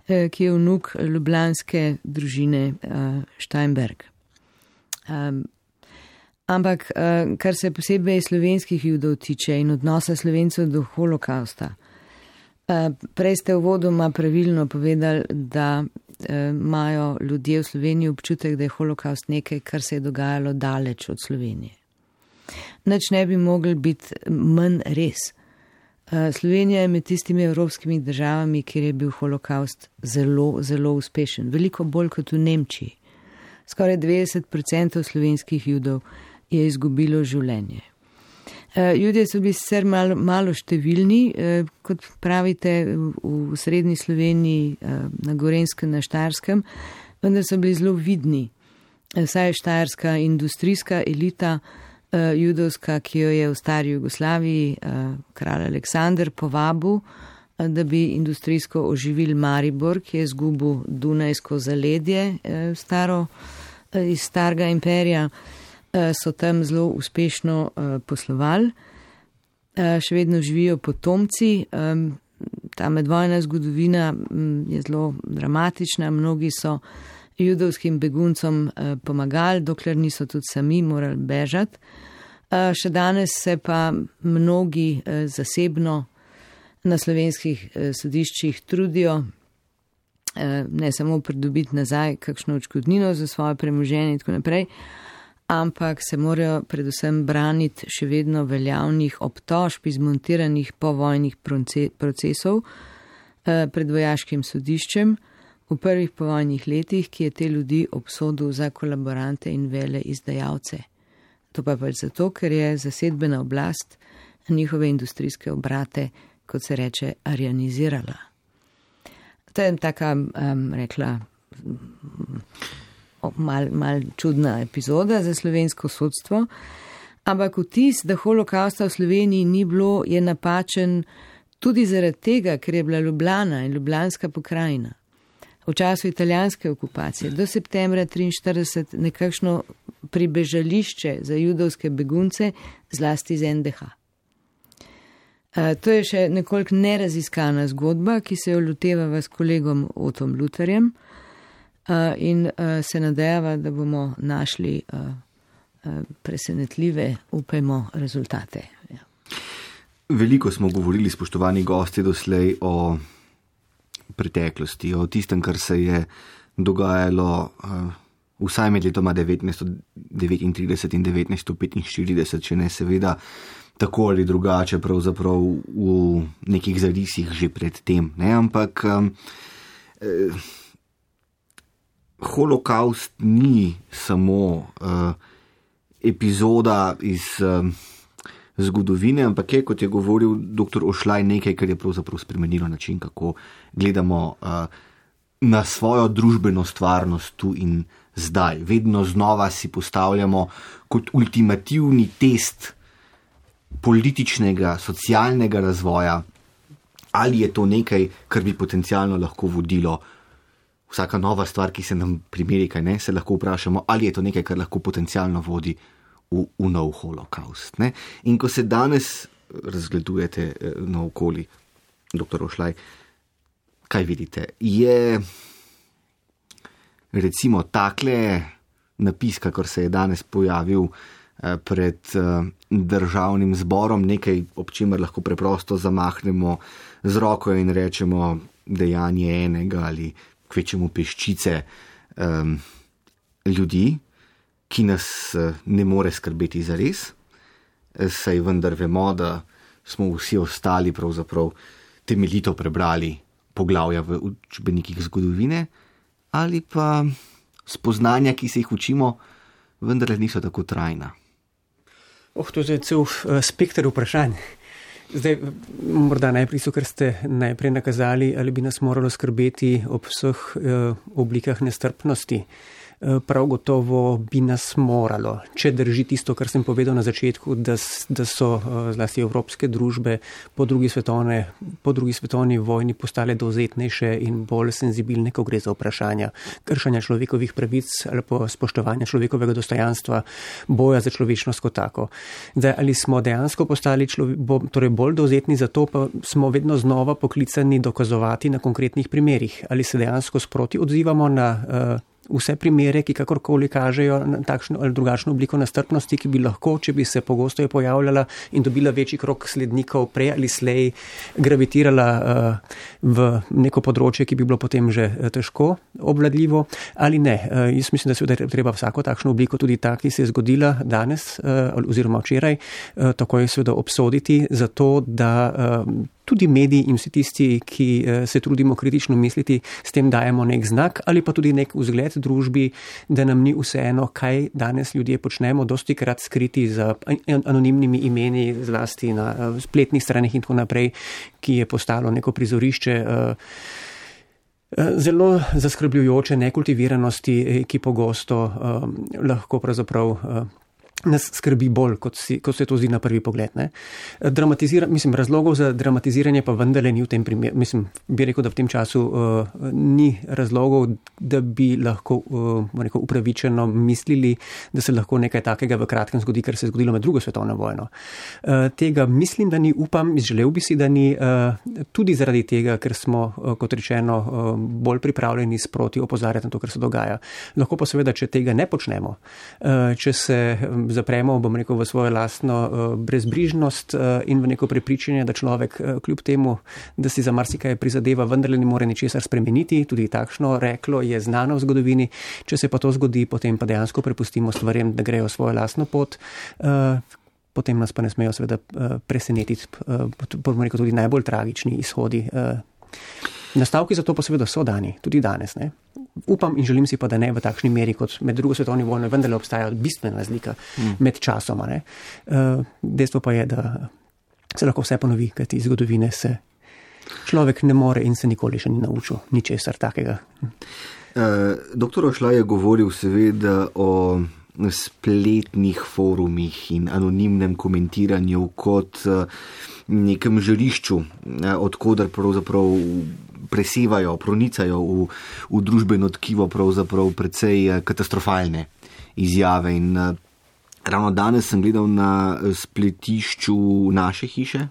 ki je vnuk ljubljanske družine uh, Steinberg. Um, ampak, uh, kar se posebej slovenskih Judov tiče in odnosa Slovencev do holokausta, uh, prej ste uvodoma pravilno povedali, da uh, imajo ljudje v Sloveniji občutek, da je holokaust nekaj, kar se je dogajalo daleč od Slovenije. Nič ne bi mogli biti manj res. Slovenija je med tistimi evropskimi državami, kjer je bil holokaust zelo, zelo uspešen. Veliko bolj kot v Nemčiji. Skoraj devetdeset odstotkov slovenskih Judov je izgubilo življenje. Judje so bili sicer malo, malo številni, kot pravite, v srednji Sloveniji, na Gorenjskem, na Štajerskem, vendar so bili zelo vidni. Vsaj štajerska industrijska elita, judovska, ki jo je v stari Jugoslaviji kralj Aleksandar povabil, da bi industrijsko oživil Maribor, ki je izgubil Dunajsko zaledje staro, iz starega imperija, so tam zelo uspešno poslovali. Še vedno živijo potomci. Ta medvojna zgodovina je zelo dramatična. Mnogi so judovskim beguncom pomagali, dokler niso tudi sami morali bežati. Še danes se pa mnogi zasebno na slovenskih sodiščih trudijo ne samo pridobiti nazaj kakšno odškodnino za svoje premoženje in tako naprej, ampak se morajo predvsem braniti še vedno veljavnih obtožb izmontiranih povojnih procesov pred vojaškim sodiščem v prvih povojnih letih, ki je te ljudi obsodil za kolaborante in vele izdajalce. To pa pač zato, ker je zasedbena oblast njihove industrijske obrate, kot se reče, arianizirala. To je taka, um, rekla, mal, mal čudna epizoda za slovensko sodstvo, ampak vtis, da holokausta v Sloveniji ni bilo, je napačen tudi zaradi tega, ker je bila Ljubljana in ljubljanska pokrajina v času italijanske okupacije do septembra triinštirideset nekakšno pribežališče za judovske begunce, zlasti z N D H. Uh, to je še nekoliko neraziskana zgodba, ki se jo lotevava s kolegom Otom Luterjem uh, in uh, se nadejava, da bomo našli uh, uh, presenetljive, upajmo, rezultate. Ja. Veliko smo govorili, spoštovani gosti, doslej o preteklosti, o tistem, kar se je dogajalo uh, vsaj med letoma devetnajststo devetintrideset in devetnajststo petinštirideset, če ne seveda tako ali drugače, pravzaprav v nekih zarisih že pred tem. Ne? Ampak um, eh, holokaust ni samo uh, epizoda iz uh, zgodovine, ampak je, kot je govoril doktor Ošlaj, nekaj, kar je pravzaprav spremenilo način, kako gledamo uh, na svojo družbeno stvarnost tu in zdaj. Vedno znova si postavljamo kot ultimativni test političnega, socialnega razvoja, ali je to nekaj, kar bi potencialno lahko vodilo. Vsaka nova stvar, ki se nam primeri, kaj ne, se lahko vprašamo, ali je to nekaj, kar lahko potencialno vodi v, v nov holokaust. Ne? In ko se danes razgledujete naokoli, doktor Ošlaj, kaj vidite? Je recimo takle napis, kakor se je danes pojavil pred državnim zborom, nekaj, ob čemer lahko preprosto zamahnemo z roko in rečemo dejanje enega ali kvečemu peščice um, ljudi, ki nas ne more skrbeti zares, saj vendar vemo, da smo vsi ostali pravzaprav temeljito prebrali poglavja v učbenikih zgodovine, ali pa spoznanja, ki se jih učimo, vendar niso tako trajna. Oh, to je cel spekter vprašanj. Zdaj, morda najprej so, ker ste najprej nakazali, ali bi nas moralo skrbeti ob vseh eh, oblikah nestrpnosti. Prav gotovo bi nas moralo, če drži tisto, kar sem povedal na začetku, da, da so zlasti evropske družbe po drugi, svetovne, po drugi svetovni vojni postale dovzetnejše in bolj senzibilne, ko gre za vprašanja kršanja človekovih pravic ali pa spoštovanja človekovega dostojanstva, boja za človečnost kot tako. Zdaj, ali smo dejansko postali človek, bo, torej bolj dovzetni, zato pa smo vedno znova poklicani dokazovati na konkretnih primerih, ali se dejansko sproti odzivamo na uh, vse primere, ki kakorkoli kažejo na takšno ali drugačno obliko nestrpnosti, ki bi lahko, če bi se pogosto pojavljala in dobila večji krog slednikov, prej ali slej gravitirala uh, v neko področje, ki bi bilo potem že težko obvladljivo, ali ne. Uh, jaz mislim, da seveda treba vsako takšno obliko, tudi ta, ki se je zgodila danes uh, oziroma včeraj, uh, takoj seveda obsoditi, zato da uh, tudi mediji in vsi tisti, ki se trudimo kritično misliti, s tem dajemo nek znak ali pa tudi nek vzgled družbi, da nam ni vseeno, kaj danes ljudje počnemo, dosti krat skriti za anonimnimi imeni, zlasti na spletnih straneh in tako naprej, ki je postalo neko prizorišče zelo zaskrbljujoče nekultiviranosti, ki pogosto lahko pravzaprav nas skrbi bolj, kot, si, kot se to zdi na prvi pogled. Ne? Dramatizira, mislim, razlogov za dramatiziranje pa vendarle ni v tem primeru. Mislim, bi rekel, da v tem času uh, ni razlogov, da bi lahko uh, rekel, upravičeno mislili, da se lahko nekaj takega v kratkem zgodi, kar se je zgodilo med drugo svetovno vojno. Uh, tega mislim, da ni, upam, želel bi si, da ni, uh, tudi zaradi tega, ker smo, uh, kot rečeno, uh, bolj pripravljeni sproti opozarjati na to, kar se dogaja. Lahko pa seveda, če tega ne počnemo, uh, če se um, zapremo, bom rekel, v svojo lastno uh, brezbrižnost uh, in v neko prepričanje, da človek uh, kljub temu, da si za marsikaj prizadeva, vendarle ne more ničesar spremeniti, tudi takšno reklo je znano v zgodovini. Če se pa to zgodi, potem pa dejansko prepustimo stvarem, da grejo svojo lastno pot, uh, potem nas pa ne smejo seveda uh, presenetiti, uh, bom rekel, tudi najbolj tragični izhodi. Uh, Nastavki za to pa seveda so dani, tudi danes. Ne? Upam in želim si pa, da ne v takšni meri kot med drugo svetovno vojno, vendarle obstaja bistvena razlika mm. med časoma. Ne? Uh, dejstvo pa je, da se lahko vse ponovi, kajti iz zgodovine se človek ne more in se nikoli še ni naučil ničesar takega. Uh, doktor Ošlaj je govoril seveda o spletnih forumih in anonimnem komentiranju kot uh, nekem žarišču, uh, odkudar pravzaprav presevajo, pronicajo v, v družbeno tkivo pravzaprav precej katastrofalne izjave. In uh, ravno danes sem gledal na spletišču naše hiše,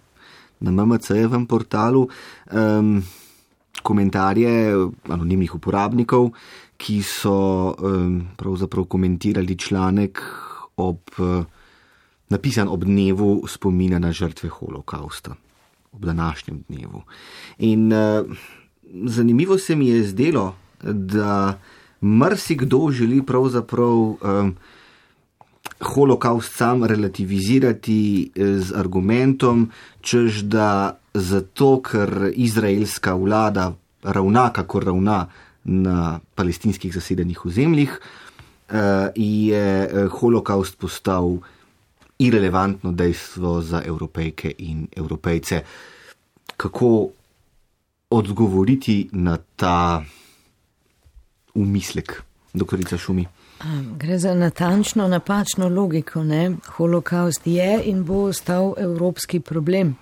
na M M C-jevem portalu, um, komentarje anonimnih uporabnikov, ki so um, pravzaprav komentirali članek ob, uh, napisan ob dnevu spomina na žrtve holokausta, ob današnjem dnevu. In uh, zanimivo se mi je zdelo, da marsikdo želi pravzaprav um, holokaust sam relativizirati z argumentom, čež da zato, ker izraelska vlada ravna, kako ravna na palestinskih zasedenih ozemljih, je holokaust postal irelevantno dejstvo za Evropejke in Evropejce. Kako odgovoriti na ta umislek, doktorica Šumi? Gre za natančno, napačno logiko, ne? Holokaust je in bo ostal evropski problem.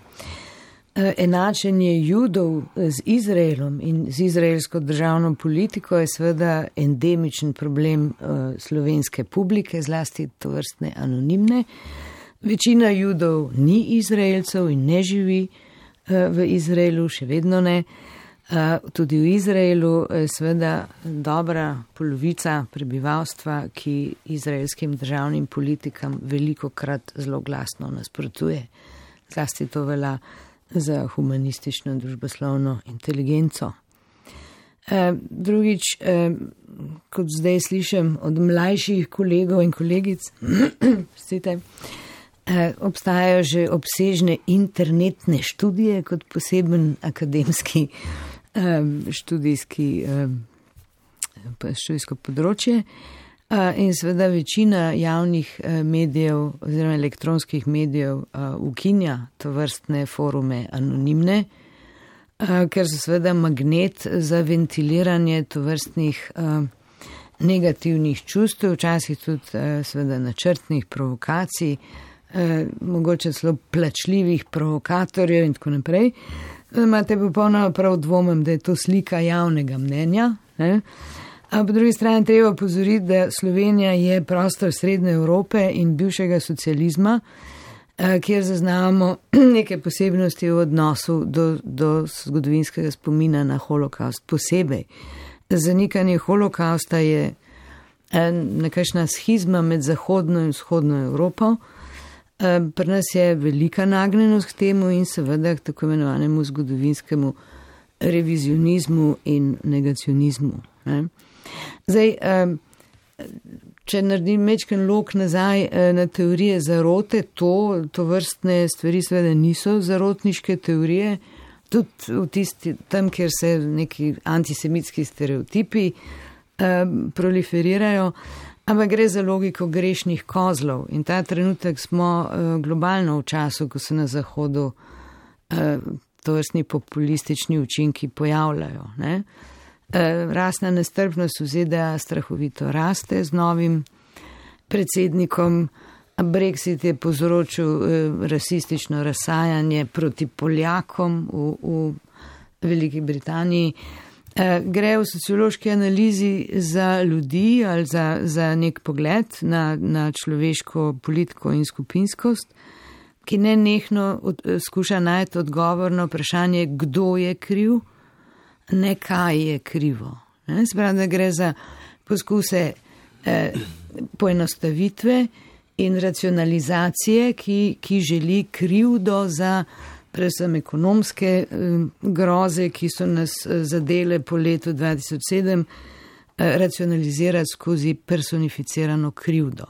Enačenje Judov z Izraelom in z izraelsko državno politiko je seveda endemičen problem slovenske publike, zlasti tovrstne anonimne. Večina Judov ni Izraelcev in ne živi v Izraelu, še vedno ne. Tudi v Izraelu je seveda dobra polovica prebivalstva, ki izraelskim državnim politikam veliko krat zelo glasno nasprotuje. Zlasti to velja za humanistično družboslovno inteligenco. Drugič, kot zdaj slišim od mlajših kolegov in kolegic, obstajajo že obsežne internetne študije kot poseben akademski študijski, študijsko področje in seveda večina javnih medijev oziroma elektronskih medijev ukinja to vrstne forume anonimne, ker so seveda magnet za ventiliranje to vrstnih negativnih čustev, včasih tudi seveda načrtnih provokacij, mogoče celo plačljivih provokatorjev in tako naprej. Imate popolnoma prav dvomem, da je to slika javnega mnenja. Ne? A po drugi strani treba opozoriti, da Slovenija je prostor Srednje Evrope in bivšega socializma, kjer zaznavamo neke posebnosti v odnosu do, do zgodovinskega spomina na holokaust. Posebej zanikanje holokausta je nekakšna schizma med zahodno in vzhodno Evropo. Pri nas je velika nagnjenost k temu in seveda k tako imenovanemu zgodovinskemu revizionizmu in negacionizmu. Ne? Zdaj, če naredim mečken lok nazaj na teorije zarote, to, to vrstne stvari seveda niso zarotniške teorije, tudi v tisti, tam, kjer se neki antisemitski stereotipi proliferirajo, ampak gre za logiko grešnih kozlov in ta trenutek smo globalno v času, ko se na Zahodu tovrstni populistični učinki pojavljajo. Ne? Rasna nestrpnost v Z D A strahovito raste z novim predsednikom, Brexit je povzročil rasistično razsajanje proti Poljakom v, v Veliki Britaniji. Gre v sociološki analizi za ljudi ali za, za nek pogled na, na človeško politiko in skupinskost, ki ne nehno od, skuša najti odgovor na vprašanje, kdo je kriv, ne kaj je krivo. Ne? Sprav, da gre za poskuse eh, poenostavitve in racionalizacije, ki, ki želi krivdo za predvsem ekonomske groze, ki so nas zadele po letu dva tisoč sedem, racionalizirati skozi personificirano krivdo.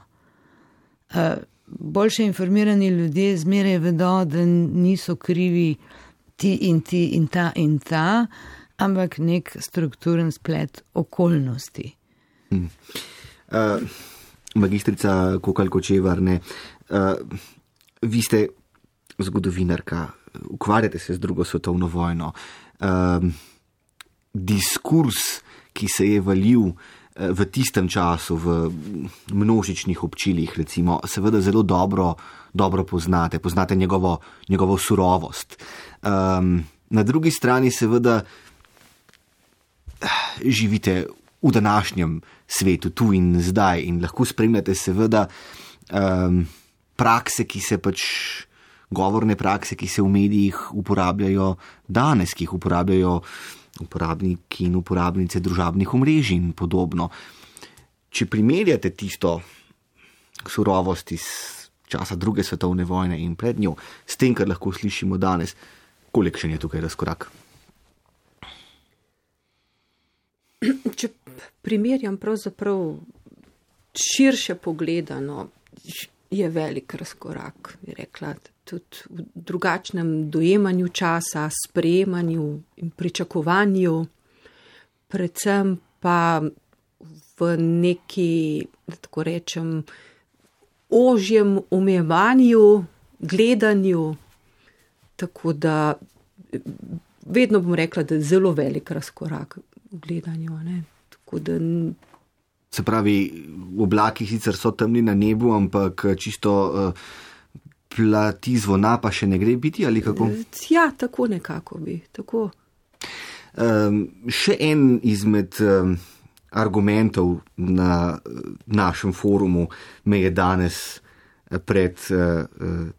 Boljše informirani ljudje zmeraj vedo, da niso krivi ti in ti in ta in ta, ampak nek strukturen splet okolnosti. Hmm. Uh, magistrica Kokalj Kočevar, ne, uh, vi ste zgodovinarka, ukvarjate se z drugo svetovno vojno. Um, diskurs, ki se je valil v tistem času v množičnih občilih, recimo, seveda zelo dobro, dobro poznate, poznate njegovo, njegovo surovost. Um, na drugi strani seveda živite v današnjem svetu, tu in zdaj, in lahko spremljate seveda um, prakse, ki se pač govorne prakse, ki se v medijih uporabljajo danes, ki jih uporabljajo uporabniki in uporabnice družabnih omrežij in podobno. Če primerjate tisto surovost iz časa druge svetovne vojne in pred njo, s tem, kar lahko slišimo danes, kolikšen je tukaj razkorak? Če primerjam pravzaprav širše pogledano, je velik razkorak, bi rekla, tudi v drugačnem dojemanju časa, sprejemanju in pričakovanju, predvsem pa v neki, da tako rečem, ožjem omejevanju, gledanju, tako da vedno bom rekla, da je zelo velik razkorak v gledanju. Ne? Tako da... Se pravi, oblaki sicer so temni na nebu, ampak čisto uh, plati zvona pa še ne gre biti, ali kako? Ja, tako nekako bi, tako. Um, še en izmed um, argumentov na uh, našem forumu me je danes pred uh,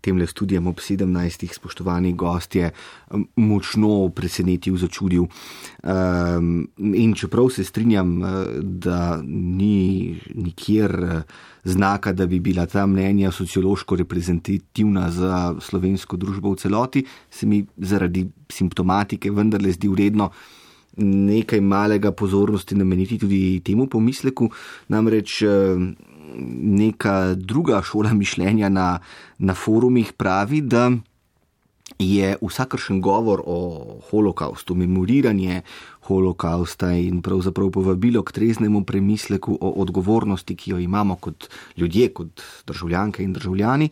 temle studijem ob sedemnajstih spoštovani gostje um, močno presenetil, začudil. Um, in čeprav se strinjam, uh, da ni nikjer uh, znaka, da bi bila ta mnenja sociološko reprezentativna za slovensko družbo v celoti, se mi zaradi simptomatike vendarle zdi vredno nekaj malega pozornosti nameniti tudi temu pomisleku, namreč uh, neka druga šola mišljenja na, na forumih pravi, da je vsakršen govor o holokaustu, memoriranje holokausta in pravzaprav povabilo k treznemu premisleku o odgovornosti, ki jo imamo kot ljudje, kot državljanke in državljani,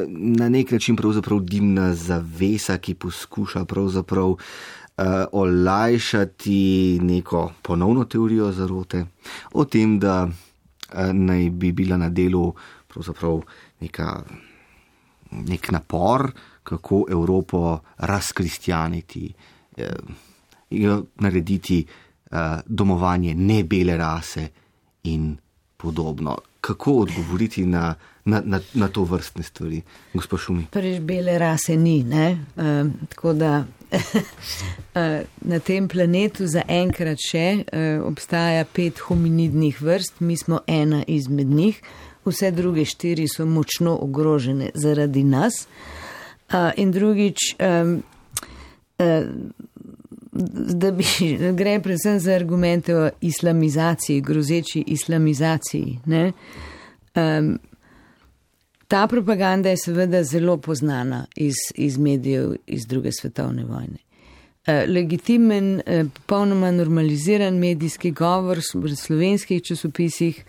na nek način pravzaprav dimna zavesa, ki poskuša pravzaprav uh, olajšati neko ponovno teorijo zarote o tem, da naj bi bila na delu pravzaprav neka, nek napor, kako Evropo razkristjaniti, eh, narediti eh, domovanje nebele rase in podobno. Kako odgovoriti na, na, na, na to vrstne stvari, gospod Šumi? Prvič, bele rase ni, ne? Uh, tako da na tem planetu za enkrat še uh, obstaja pet hominidnih vrst, mi smo ena izmed njih, vse druge štiri so močno ogrožene zaradi nas. Uh, in drugič, um, uh, da bi gre predvsem za argumente o islamizaciji, grozeči islamizaciji, ne? Um, ta propaganda je seveda zelo poznana iz, iz medijev iz druge svetovne vojne. Uh, legitimen, uh, popolnoma normaliziran medijski govor v slovenskih časopisih,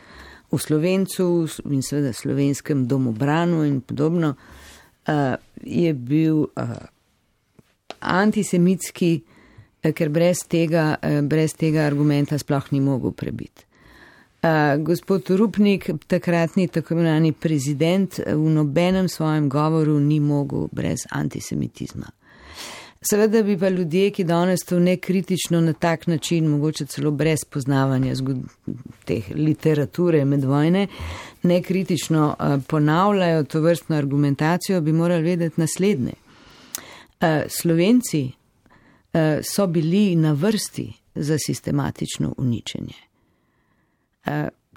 v Slovencu in seveda slovenskem domobranu in podobno, uh, je bil uh, antisemitski, uh, ker brez tega, uh, brez tega argumenta sploh ni mogel prebiti. Uh, gospod Rupnik, takratni tako imenovani prezident, v nobenem svojem govoru ni mogel brez antisemitizma. Seveda bi pa ljudje, ki danes to nekritično na tak način, mogoče celo brez poznavanja teh literature med vojne, nekritično uh, ponavljajo to vrstno argumentacijo, bi morali vedeti naslednje. Uh, Slovenci uh, so bili na vrsti za sistematično uničenje.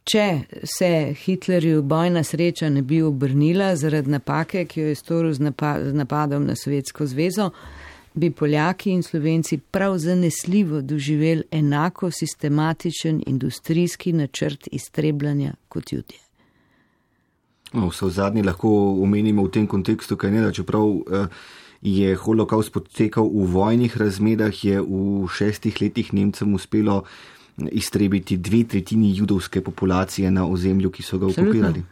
Če se Hitlerju bojna sreča ne bi obrnila zaradi napake, ki jo je storil z napadom na Sovjetsko zvezo, bi Poljaki in Slovenci prav zanesljivo doživeli enako sistematičen industrijski načrt iztrebljanja kot Judje. No, vse v zadnji lahko omenimo v tem kontekstu, kaj ne, da čeprav je holokaust potekal v vojnih razmerah, je v šestih letih Nemcem uspelo iztrebiti dve tretjini judovske populacije na ozemlju, ki so ga okupirali.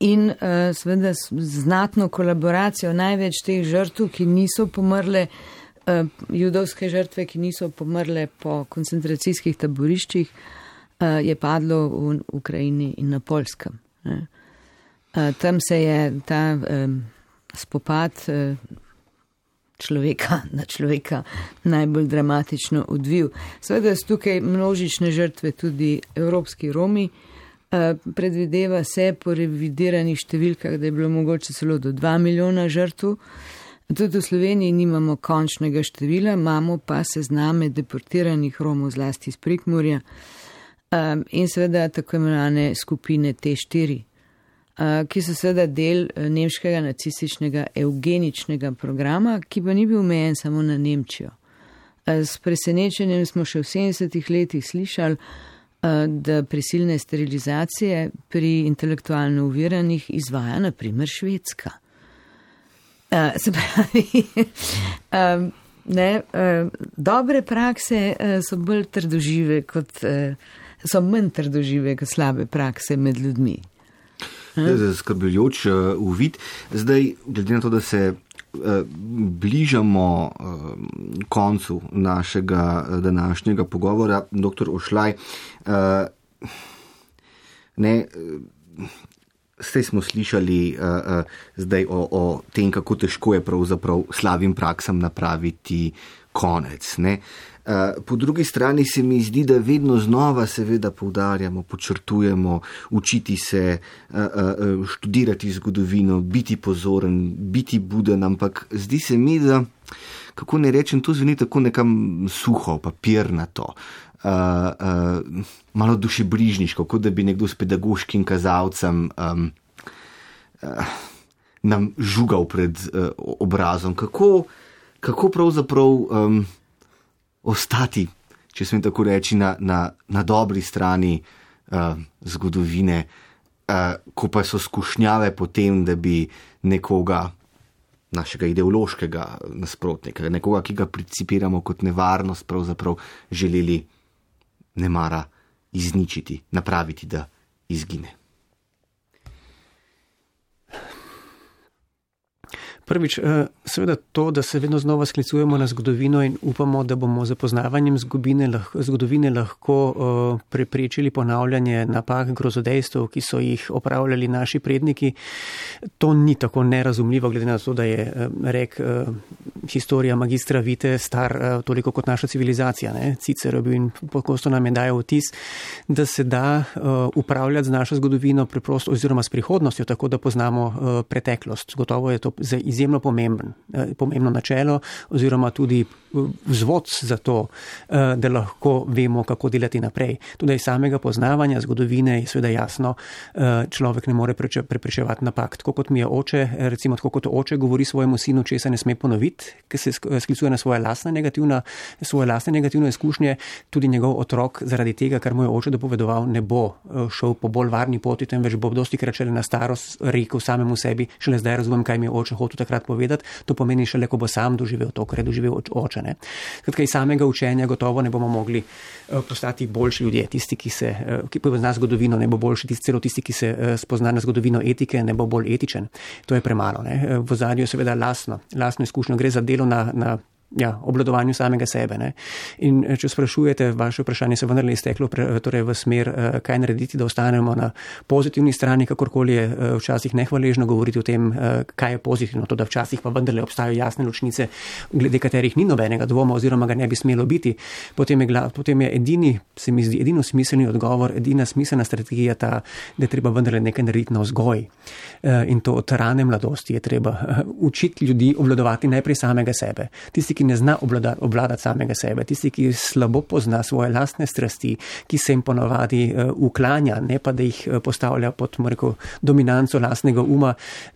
In uh, seveda znatno kolaboracijo največ teh žrtv, ki niso pomrle, uh, judovske žrtve, ki niso pomrle po koncentracijskih taboriščih, uh, je padlo v Ukrajini in na Poljskem. Uh, tam se je ta um, spopad uh, človeka na človeka najbolj dramatično odvil. Seveda so tukaj množične žrtve tudi evropski Romi. Predvideva se po revidiranih številkah, da je bilo mogoče celo do dva milijona žrtv. Tudi v Sloveniji nimamo končnega števila, imamo pa sezname deportiranih Romov zlasti iz Prekmurja in seveda tako imenovane skupine T štiri. Ki so seveda del nemškega nacističnega eugeničnega programa, ki pa ni bil omejen samo na Nemčijo. S presenečenjem smo še v sedemdesetih letih slišali, da prisilne sterilizacije pri intelektualno oviranih izvaja na primer Švedska. Se pravi, ne, dobre prakse so bolj trdožive kot, so manj trdožive kot slabe prakse med ljudmi. zaskrbljujoč uvid. Zdaj, glede na to, da se bližamo koncu našega današnjega pogovora, doktor Ošlaj, ne, zdaj smo slišali zdaj o, o tem, kako težko je pravzaprav slabim praksam napraviti konec, ne. Po drugi strani se mi zdi, da vedno znova seveda poudarjamo, počrtujemo, učiti se, študirati zgodovino, biti pozoren, biti buden, ampak zdi se mi, da, kako ne rečem, to zveni tako nekam suho, papirnato, malo dušebrižniško, kot da bi nekdo s pedagoškim kazalcem nam žugal pred obrazom. Kako, kako pravzaprav ostati, če smem tako reči, na, na, na dobri strani uh, zgodovine, uh, ko pa so skušnjave potem, da bi nekoga, našega ideološkega nasprotnika, nekoga, ki ga principiramo kot nevarnost, pravzaprav želeli nemara izničiti, napraviti, da izgine. Prvič, seveda to, da se vedno znova sklicujemo na zgodovino in upamo, da bomo z poznavanjem zgodovine lahko, zgodovine lahko uh, preprečili ponavljanje napak, grozodejstev, ki so jih opravljali naši predniki. To ni tako nerazumljivo, glede na to, da je uh, rek uh, historija magistra Vite star uh, toliko kot naša civilizacija. Ne? Cicero bil in pogosto nam je dajal vtis, da se da uh, upravljati z našo zgodovino preprosto oziroma s prihodnostjo, tako da poznamo uh, preteklost. Gotovo je to za izjemno pomemben, pomembno načelo oziroma tudi vzvod za to, da lahko vemo, kako delati naprej. Tudi iz samega poznavanja zgodovine je seveda jasno, človek ne more preprečevati napak. Tako kot mi je oče, recimo tako kot oče govori svojemu sinu, česa ne sme ponoviti, ker se sklicuje na svoje lastne negativne, svoje lastne negativne izkušnje, tudi njegov otrok zaradi tega, kar mu je oče dopovedoval, ne bo šel po bolj varni poti, temveč bo dostikrat šele na starost rekel samemu sebi, šele zdaj razumem, kaj mi je oče hotel takrat povedati, to pomeni šele, ko bo sam doživel to, kar je doživel oče. Ne? Skratka, iz samega učenja gotovo ne bomo mogli postati boljši ljudje, tisti, ki se, ki pozna zgodovino, ne bo boljši, tisti, celo tisti, ki se spozna na zgodovino etike, ne bo bolj etičen. To je premalo. Ne? V ozadju je seveda lastno, lastno izkušnjo, gre za delo na, na ja, obvladovanju samega sebe. Ne? In če sprašujete, vaše vprašanje se vendarle izteklo pre, torej v smer, kaj narediti, da ostanemo na pozitivni strani, kakorkoli je včasih nehvaležno govoriti o tem, kaj je pozitivno, to da včasih pa vendarle obstajajo jasne ločnice, glede katerih ni nobenega dvoma oziroma ga ne bi smelo biti. Potem je, potem je edini, se mi zdi, edino smiselni odgovor, edina smiselna strategija ta, da je treba vendarle nekaj narediti na vzgoj. In to od rane mladosti je treba učiti ljudi obvladovati najprej samega sebe. Tisti, ki ne zna obvladati, obvladati samega sebe, tisti, ki slabo pozna svoje lastne strasti, ki se jim ponavadi uh, uklanja, ne pa da jih uh, postavlja pod rekel, dominanco lastnega uma,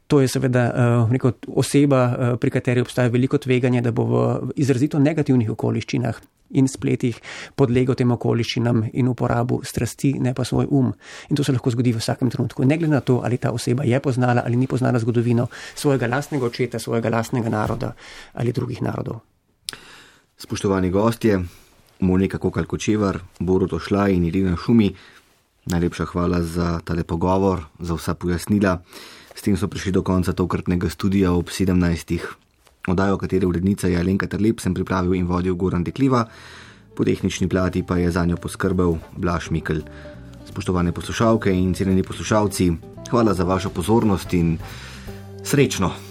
to je seveda uh, rekel, oseba, uh, pri kateri obstaja veliko tveganje, da bo v izrazito negativnih okoliščinah in spletih podlegel tem okoliščinam in uporabu strasti, ne pa svoj um. In to se lahko zgodi v vsakem trenutku. Ne glede na to, ali ta oseba je poznala ali ni poznala zgodovino svojega lastnega očeta, svojega lastnega naroda ali drugih narodov. Spoštovani gostje, Monika Kokalj-Kočevar, Borut Ošlaj in Irena Šumi, najlepša hvala za tale pogovor, za vsa pojasnila. S tem so prišli do konca tokratnega studija ob sedemnajstih. Oddajo, katere urednica je Alenka Terlep, sem pripravil in vodil Goran Dekliva, po tehnični plati pa je zanjo poskrbel Blaž Mikl. Spoštovane poslušalke in cenjeni poslušalci, hvala za vašo pozornost in srečno!